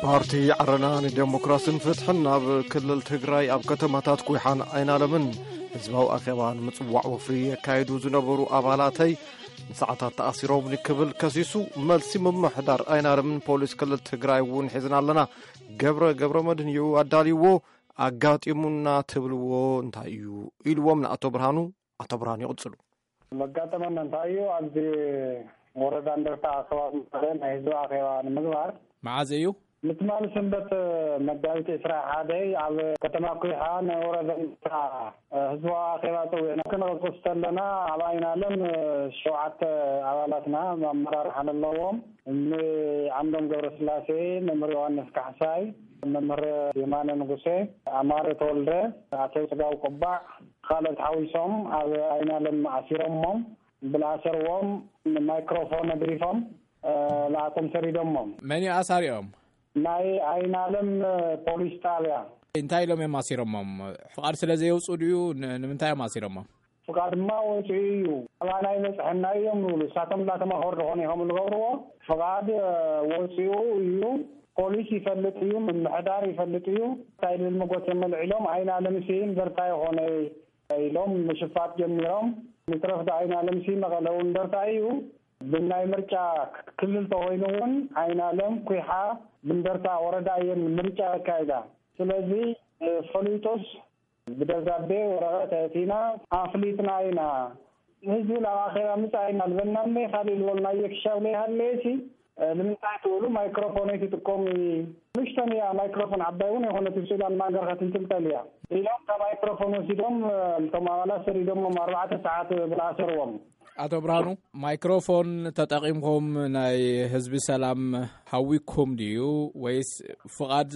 ፓርቲ ዓረና ንዴሞክራስን ፍትሕን ኣብ ክልል ትግራይ ኣብ ከተማታት ኩይሓን ኣይናለምን ህዝባዊ ኣኼባ ንምጽዋዕ ወፍሪ የካይዱ ዝነበሩ ኣባላተይ ንሰዓታት ተኣሲሮም ክብል ከሲሱ። መልሲ ምምሕዳር ኣይናለምን ፖሊስ ክልል ትግራይ እውን ሒዝና ኣለና፣ ገብረ ገብረ መድህን እዩ ኣዳልይዎ። ኣጋጢሙና ትብልዎ እንታይ እዩ ኢልዎም ንኣቶ ብርሃኑ። ኣቶ ብርሃኑ ይቕጽሉ። መጋጠመና እንታይ እዩ? ኣብዚ ወረዳ እንደርታ ከባቢ መቐለ ናይ ህዝቢ ኣኼባ ንምግባር መዓዝ እዩ? ምትማል ሰንበት መጋቢት ዕስራ ሓደ ኣብ ከተማ ኩይሓ ናይ ወረዳ እንደርታ ህዝባዊ ኣኼባ ጸዊዕና ክንቕስቅስ ከለና ኣብ ኣይናለም ሸውዓተ ኣባላትና ኣመራርሓ ዘለዎም ንዓምዶም ገብረስላሴ፣ መምህር ዮሃንስ ካሕሳይ፣ መምህር የማነ ንጉሴ፣ ኣማረ ተወልደ፣ ኣቶ ጽጋው ቁባዕ ካልኦት ሓዊሶም ኣብ ኣይናለም ኣሲሮሞም ብልኣሰርዎም ማይክሮፎን ኣድሪፎም ንኣቶም ሰዲዶሞም። መን እዩ ኣሳሪኦም? ናይ ኣይናለም ፖሊስ ጣብያ። እንታይ ኢሎም እዮም ኣሲሮሞም? ፍቓድ ስለ ዘየውፅኡ ድዩ? ን- ንምንታይ እዮም ኣሲሮሞም? ፍቓድ ድማ ወፂኡ እዩ፣ ኣባና ይበፅሐና እዮም ዝብሉ። እሳቶም እንዳተማኸሩ ዝኾነ ይኸም ዝገብርዎ። ፍቓድ ወፂኡ እዩ። ፖሊስ ይፈልጥ እዩ፣ ምምሕዳር ይፈልጥ እዩ። እንታይ ልብል መጎት የመልዒሎም ኣይናለም ሲ እንደርታ ይኾነ ኢሎም ምሽፋጥ ጀሚሮም። ንትረፍ ዶ ኣይናለም ሲ መቐለ እውን እንደርታ እዩ። ብናይ ምርጫ ክልል ተኮይኑ እውን ኣይናለም ኩይሓ ብእንደርታ ወረዳ እየን ምርጫ ኣካይዳ። ስለዚ ፈሊጡስ ብደብዳቤ ወረቐት ኣእቲና ኣፍሊጥና ኢና። ህዝቢ ናብ ኣኼባ ምጻእ ኣይናልበናኒ ካልእ ዝበልናዮ ክሻብ ለይሃለየሲ ንምንታይ ትብሉ ማይክሮፎን ኣይትጥቀሙ? ንእሽተን እያ ማይክሮፎን፣ ዓባይ እውን ኣይኮነት፣ ስእላን ማንገርካ ትንጥልጠል እያ ኢሎም እታ ማይክሮፎን ወሲዶም እቶም ኣባላት ሰዲዶሞም ኣርባዕተ ሰዓት ብልኣሰርዎም። ኣቶ ብርሃኑ፣ ማይክሮፎን ተጠቒምኩም ናይ ህዝቢ ሰላም ሃዊኩም ድዩ ወይስ ፍቓድ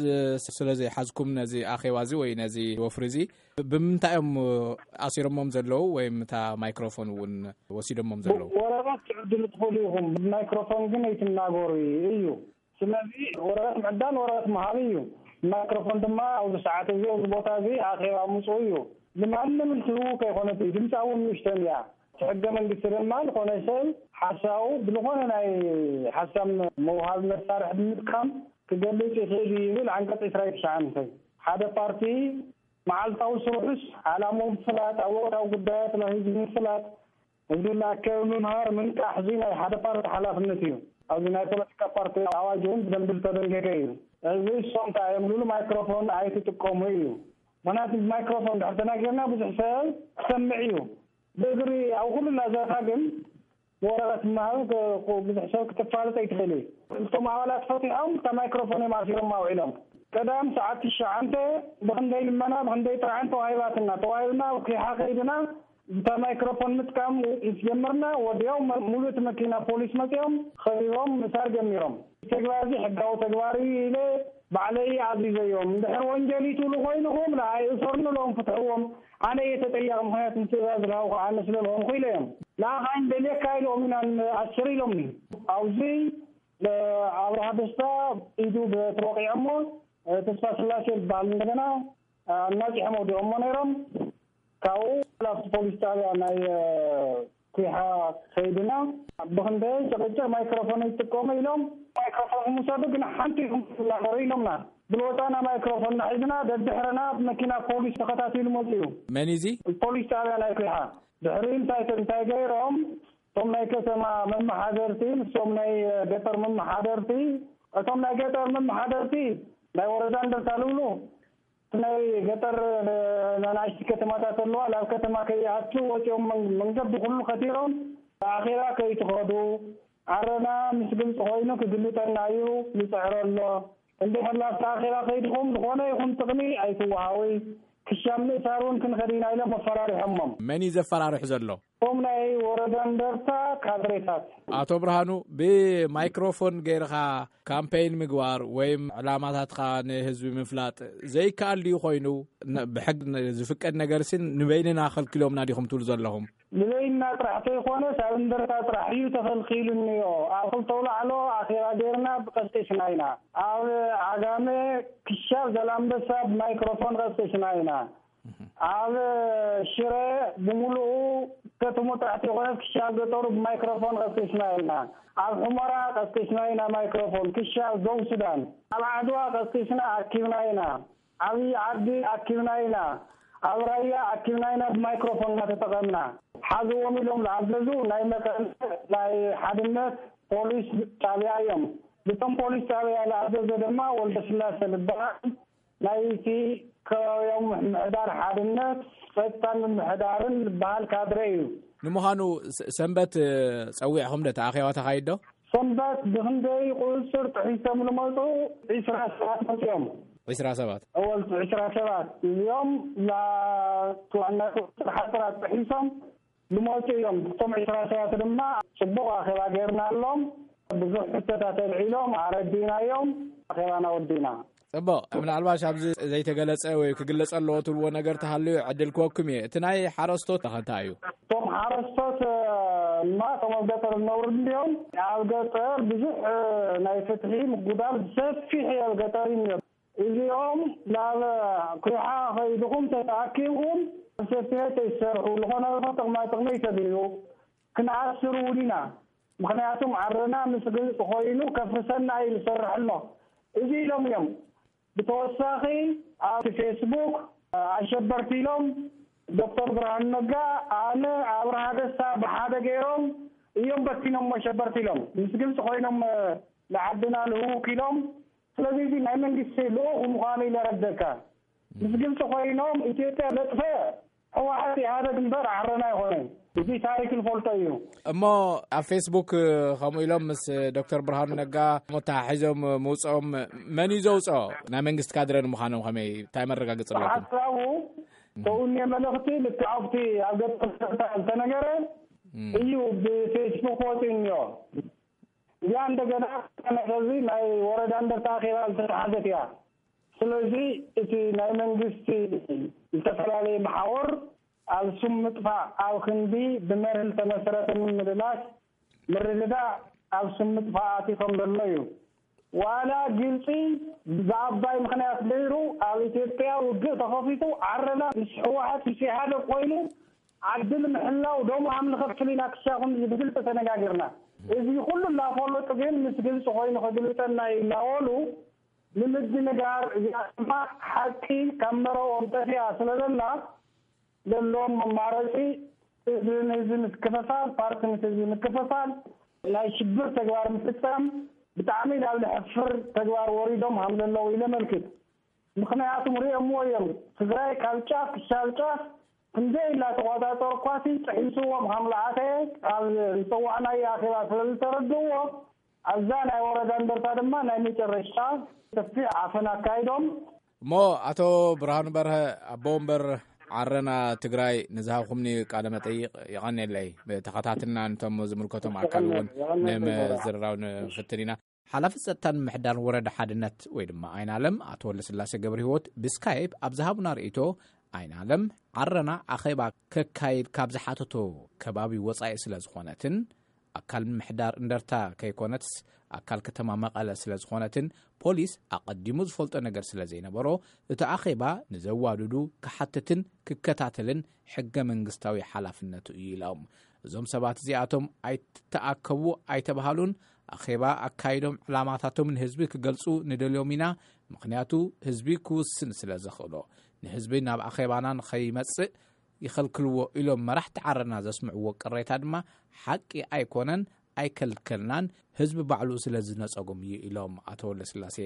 ስለ ዘይሓዝኩም ነዚ ኣኼባ እዚ ወይ ነዚ ወፍሪ እዚ ብምንታይ እዮም ኣሲሮሞም ዘለዉ ወይም እታ ማይክሮፎን እውን ወሲዶሞም ዘለዉ? ወረቐት ትዕድሉ ትኽእሉ ኢኹም፣ ብማይክሮፎን ግን ኣይትናገሩ እዩ። ስለዚ ወረቐት ምዕዳል ወረቐት ምሃብ እዩ። ማይክሮፎን ድማ ኣብዚ ሰዓት እዚ ኣብዚ ቦታ እዚ ኣኼባ ምፅኡ እዩ። ንማንም ትህቡ ከይኮነት እዩ። ድምፃ እውን ንእሽተን እያ። እቲ ሕገ መንግስቲ ድማ ዝኾነ ሰብ ሓሳቡ ብዝኾነ ናይ ሓሳብ መውሃቢ መሳርሒ ብምጥቃም ክገልፅ ይኽእል እዩ ይብል ዓንቀፅ ዕስራን ትሽዓን። ሓደ ፓርቲ መዓልታዊ ስርሑስ ዓላምኡ ምፍላጥ፣ ኣብ ወቕታዊ ጉዳያት ናይ ህዝቢ ምፍላጥ፣ ህዝቢ እናኣከበ ምምሃር፣ ምንቃሕ፣ እዚ ናይ ሓደ ፓርቲ ሓላፍነት እዩ። ኣብዚ ናይ ፖለቲካ ፓርቲ ኣዋጅ እውን ብደንቢ ዝተደንገገ እዩ። እዚ እሶም እንታይ እዮም ዝብሉ፣ ማይክሮፎን ኣይትጥቀሙ እዩ። ምክንያቱ ማይክሮፎን ድሕር ተናጊርና ብዙሕ ሰብ ክሰምዕ እዩ። ብእግሪ ኣብ ኩሉ ላዛታ ግን ወረቐት ምሃብ ክ- ብዙሕ ሰብ ክትፋለጥ ኣይትኽእል እዩ። እቶም ኣባላት ፈቲሖም እታ ማይክሮፎን እዮም ኣሲሮም ኣውዒሎም። ቀዳም ሰዓት ትሽዓንተ ብክንደይ ልመና ብክንደይ ጥርዓን ተዋሂባትና ተዋሂብና ኣብ ኪሓ ከይድና እታ ማይክሮፎን ምጥቃም ምስ ጀመርና ወዲያው መ- ሙሉእ እቲ መኪና ፖሊስ መፂኦም ከቢቦም ምሳር ጀሚሮም። ተግባር እዚ ሕጋዊ ተግባር እዩ ኢለ ባዕለይ ኣዚዘዮም። እንድሕር ወንጀል ይትብሉ ኮይንኹም ንዓይ እሰሩኒ ኢሎም ፍትሕዎም። ኣነ እየ ተጠያቂ፣ ምክንያቱ ትእዛዝ ዝሃብኩ ኣነ ስለ ዝኾንኩ ኢለዮም። ንዓኻ ኣይንደልየካ ኢሎም ኢና ንኣስር ኢሎምኒ። ኣብዚ ኣብርሃ ደስታ ኢዱ ተወቂዖሞ ተስፋ ስላሴ ዝበሃል እንደገና ኣናፂሖም ወዲኦሞ ነይሮም። ካብኡ ላፍቲ ፖሊስ ጣብያ ናይ ኩሓ ከይድና ብክንደይ ጭቅጭቅ ማይክሮፎን ይጥቀሙ ኢሎም ማይክሮፎን ምውሰዱ ግን ሓንቲ ኢኹም ትናገሩ ኢሎምና። ብልወጣና ማይክሮፎን ናሒዝና ደድሕረና መኪና ፖሊስ ተኸታቲሉ መፅኡ። መን እዚ? ፖሊስ ጣብያ ናይ ኩሓ። ድሕሪ እንታይ እንታይ ገይሮም እቶም ናይ ከተማ መመሓደርቲ ምስቶም ናይ ገጠር መመሓደርቲ፣ እቶም ናይ ገጠር መመሓደርቲ ናይ ወረዳ እንደርታ ልብሉ ናይ ገጠር ናናእሽቲ ከተማታት ኣለዋ ናብ ከተማ ከይኣቱ ወፂኦም መንገዲ ኩሉ ከቲሮም ኣኼባ ከይትኸዱ። ዓረና ምስ ግልፂ ኮይኑ ክግልፀና እዩ ይፅዕሮ ኣሎ። እንድሕር ናብቲ ኣኼባ ከይድኹም ዝኾነ ይኹን ጥቕሚ ኣይትወሃዊ። ክሻብ ምእሳር እውን ክንኸድ ኢና ኢሎም ኣፈራሪሖሞም። መን እዩ ዘፈራርሑ ዘሎ? እቶም ናይ ወረዳ እንደርታ ካድሬታት። ኣቶ ብርሃኑ፣ ብማይክሮፎን ገይርኻ ካምፔይን ምግባር ወይም ዕላማታትካ ንህዝቢ ምፍላጥ ዘይከኣል ድዩ ኮይኑ? ነ- ብሕግ ን- ዝፍቀድ ነገር ስን ንበይንና ከልክሎምና ዲኹም ትብሉ ዘለኹም? ንበይንና ጥራሕ ተይኮነስ ኣብ እንደርታ ጥራሕ እዩ ተኸልኪሉ እኒኦ። ኣብ ክልተ ኣውላዕሎ ኣኼባ ገይርና ብቀስቂስና ኢና። ኣብ ዓጋመ ክሻብ ዘላንበሳ ብማይክሮፎን ቀስቂስና ኢና። ኣብ ሽረ ብምሉኡ ከተሙ ጥዕቲ ይኹነት ክሻ ገጠሩ ብማይክሮፎን ቀስቂስና ኢና። ኣብ ሑመራ ቀስቂስና ኢና ማይክሮፎን ክሻ ዞው ሱዳን። ኣብ ዓድዋ ቀስቂስና ኣኪብና ኢና። ኣብ ዓዲ ኣኪብና ኢና። ኣብ ራያ ኣኪብና ኢና ብማይክሮፎን እናተጠቐምና። ሓዝዎም ኢሎም ዝኣዘዙ ናይ መቀለ ናይ ሓድነት ፖሊስ ጣብያ እዮም። ብቶም ፖሊስ ጣብያ ዝኣዘዘ ድማ ወልደ ስላሴ ዝበሃል ናይቲ ከባቢያዊ ምምሕዳር ሓድነት ጸጥታን ምምሕዳርን ዝበሃል ካድረ እዩ። ንምዃኑ ስ-፣ ሰንበት፣ እ፣ ጸዊዕኹም ዶ እቲ ኣኼባ ተኻይዶ? ሰንበት ብኽንደይ ቁጽጽር ጥሒሶም ዝመጹ ዒስራ ሰባት መጺኦም። ዒስራ ሰባት? እወ፣ ዒስራ ሰባት እዚኦም ላ-፣ ዋና ቁጽጽር ሓጽራት ጥሒሶም ዝመጹ እዮም። እቶም ዒስራ ሰባት ድማ ጽቡቕ ኣኼባ ጌርናሎም። ብዙሕ ሕቶታት ኣልዒሎም ኣረዲናዮም። ኣኼባና ወዲና። ጽቡቕ። ምናልባሽ ኣብዚ ዘይተገለጸ ወይ ክግለጸ ኣለዎ ትብልዎ ነገር ተሃልዩ ዕድል ክወኩም እየ። እቲ ናይ ሓረስቶት ከ እንታይ እዩ? እቶም ሓረስቶት፣ እ፣ እማ እቶም ኣብ ገጠር ዝነብሩ እንዲዮም። ኣብ ገጠር ብዙሕ፣ እ፣ ናይ ፍትሒ ምጉዳል ሰፊሕ እዩ ኣብ ገጠር እዩ። እዚኦም ናብ ኩሓ ኸይድኹም ተተኣኪብኩም ሰፊሕ ተይሰርሑ ዝኾነ ጥቕማ ጥቕሚ ተድልዩ ክንኣስር እውን ኢና። ምኽንያቱም ዓረና ምስ ግልፂ ኮይኑ ከፍርሰና እዩ ዝሰርሕ ኣሎ። እዚ ኢሎም እዮም። ብተወሳኺ ኣብቲ ፌስቡክ ኣሸበርቲ ኢሎም ዶክተር ብርሃኑ ነጋ፣ ኣነ፣ ኣብርሃ ደስታ ብሓደ ገይሮም እዮም በቲኖም ኣሸበርቲ ኢሎም። ምስ ግልፂ ኮይኖም ንዓድና ልህውክ ኢሎም። ስለዚ እዚ ናይ መንግስቲ ልኡኽ ምዃኑ ኢለ ረደካ። ምስ ግልፂ ኮይኖም ኢትዮጵያ ዘጥፈ ህወሓት ኢህኣደግ እምበር ዓረና ኣይኮነን። እዚ ታሪክ ንፈልጦ እዩ። እሞ ኣብ ፌስቡክ ከምኡ ኢሎም ምስ ዶክተር ብርሃኑ ነጋ ተተሓሒዞም ምውፅኦም መን እዩ ዘውፅኦ? ናይ መንግስቲ ካድረ ንምዃኖም ከመይ፣ እንታይ መረጋገፂ ኣለኩም? ብሓሳቡ ተውኔ መልእኽቲ ልክዕ ኣብቲ ኣብ ገጠር ዝተነገረ እም። እዩ ብፌስቡክ ወፂኡ እኒኦ። እዚኣ እንደገና ነዚ ናይ ወረዳ እንደርታ ኣኼባ ዝተተሓዘት እያ። ስለዚ እቲ ናይ መንግስቲ ዝተፈላለየ መሓውር ኣብ ስም ምጥፋእ ኣብ ክንዲ ብመርህ ዝተመሰረተ ምምልላስ ምርድዳእ ኣብ ስም ምጥፋእ ኣቲቶም ዘሎ እዩ። ዋላ ግልፂ ብኣባይ ምኽንያት ገይሩ ኣብ ኢትዮጵያ ውግእ ተኸፊቱ ዓረና ምስ ህወሓት ምስ ኢህኣደግ ኮይኑ ዓዲ ንምሕላው ደም ኣምልኸፍል ኢና ክሻኹም ብግልፂ ተነጋጊርና። እዚ ኩሉ እናፈለጡ ግን ምስ ግልፂ ኮይኑ ከግልፀና እዩ እናበሉ ንምድንጋር እዚኣ ድማ ሓቂ ካብ መረቦም ጠፊኣ ስለ ዘላ ዘለዎም መማረፂ ህዝቢ ንህዝቢ ምክፍፋል፣ ፓርቲ ምስ ህዝቢ ምክፍፋል፣ ናይ ሽብር ተግባር ምፍፃም ብጣዕሚ ናብ ዘሕፍር ተግባር ወሪዶም ሃም ዘለዉ ኢለ መልክት። ምኽንያቱም ሪኦምዎ እዮም። ትግራይ ካብ ጫፍ ክሻብ ጫፍ ክንደይ እናተቆፃፀሩ እኳሲ ጥሒስዎም ሃም ለኣተ ኣብ ዝፀዋዕናዮ ኣኼባ ስለ ዝተረድእዎ ኣብዛ ናይ ወረዳ እንደርታ ድማ ናይ መጨረሻ ሰፊሕ ዓፈና ኣካይዶም። እሞ ኣቶ ብርሃኑ በርሀ ኣቦ ወንበር ዓረና ትግራይ ንዝሃብኩምኒ ቃለ መጠይቕ የቐንየለይ። ተኸታትልና ነቶም ዝምልከቶም ኣካል እውን ንምዝርራብ ንፍትን ኢና። ሓላፊ ጸጥታን ምሕዳር ወረዳ ሓድነት ወይ ድማ ኣይናለም ኣቶ ወልደስላሴ ገብረ ህይወት ብስካይፕ ኣብ ዝሃቡና ርእይቶ ኣይናለም ዓረና ኣኼባ ከካይድ ካብ ዝሓተቶ ከባቢ ወጻኢ ስለ ዝኾነትን ኣካል ምሕዳር እንደርታ ከይኮነትስ ኣካል ከተማ መቐለ ስለ ዝኾነትን ፖሊስ ኣቐዲሙ ዝፈልጦ ነገር ስለ ዘይነበሮ እቲ ኣኼባ ንዘዋድዱ ክሓትትን ክከታተልን ሕገ መንግስታዊ ሓላፍነቱ እዩ ኢሎም። እዞም ሰባት እዚኣቶም ኣይትተኣከቡ ኣይተባሃሉን ኣኼባ ኣካይዶም ዕላማታቶም ንህዝቢ ክገልጹ ንደልዮም ኢና፣ ምኽንያቱ ህዝቢ ክውስን ስለ ዘኽእሎ ንህዝቢ ናብ ኣኼባና ንኸይመጽእ ይኸልክልዎ ኢሎም መራሕቲ ዓረና ዘስምዕዎ ቅሬታ ድማ ሓቂ ኣይኮነን፣ ኣይከልከልናን፣ ህዝቢ ባዕሉ ስለ ዝነጸጎም እዩ ኢሎም ኣቶ ወልደስላሴ።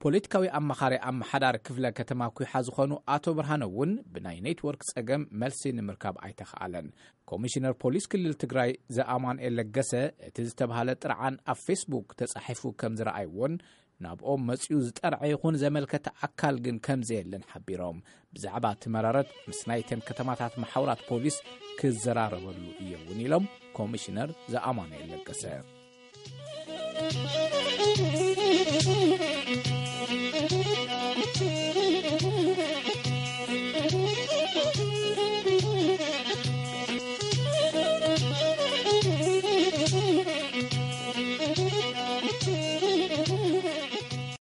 ፖለቲካዊ ኣማኻሪ ኣመሓዳሪ ክፍለ ከተማ ኩሓ ዝኾኑ ኣቶ ብርሃነ እውን ብናይ ኔትወርክ ጸገም መልሲ ንምርካብ ኣይተኽኣለን። ኮሚሽነር ፖሊስ ክልል ትግራይ ዘኣማንኤል ለገሰ እቲ ዝተባህለ ጥርዓን ኣብ ፌስቡክ ተጻሒፉ ከም ዝረኣይዎን ናብኦም መጺኡ ዝጠርዐ ይኹን ዘመልከተ ኣካል ግን ከም ዘየለን ሓቢሮም። ብዛዕባ እቲ መረረት ምስ ናይተን ከተማታት መሓውራት ፖሊስ ክዘራረበሉ እየ እውን ኢሎም ኮሚሽነር ዘኣማንኤል ለገሰ።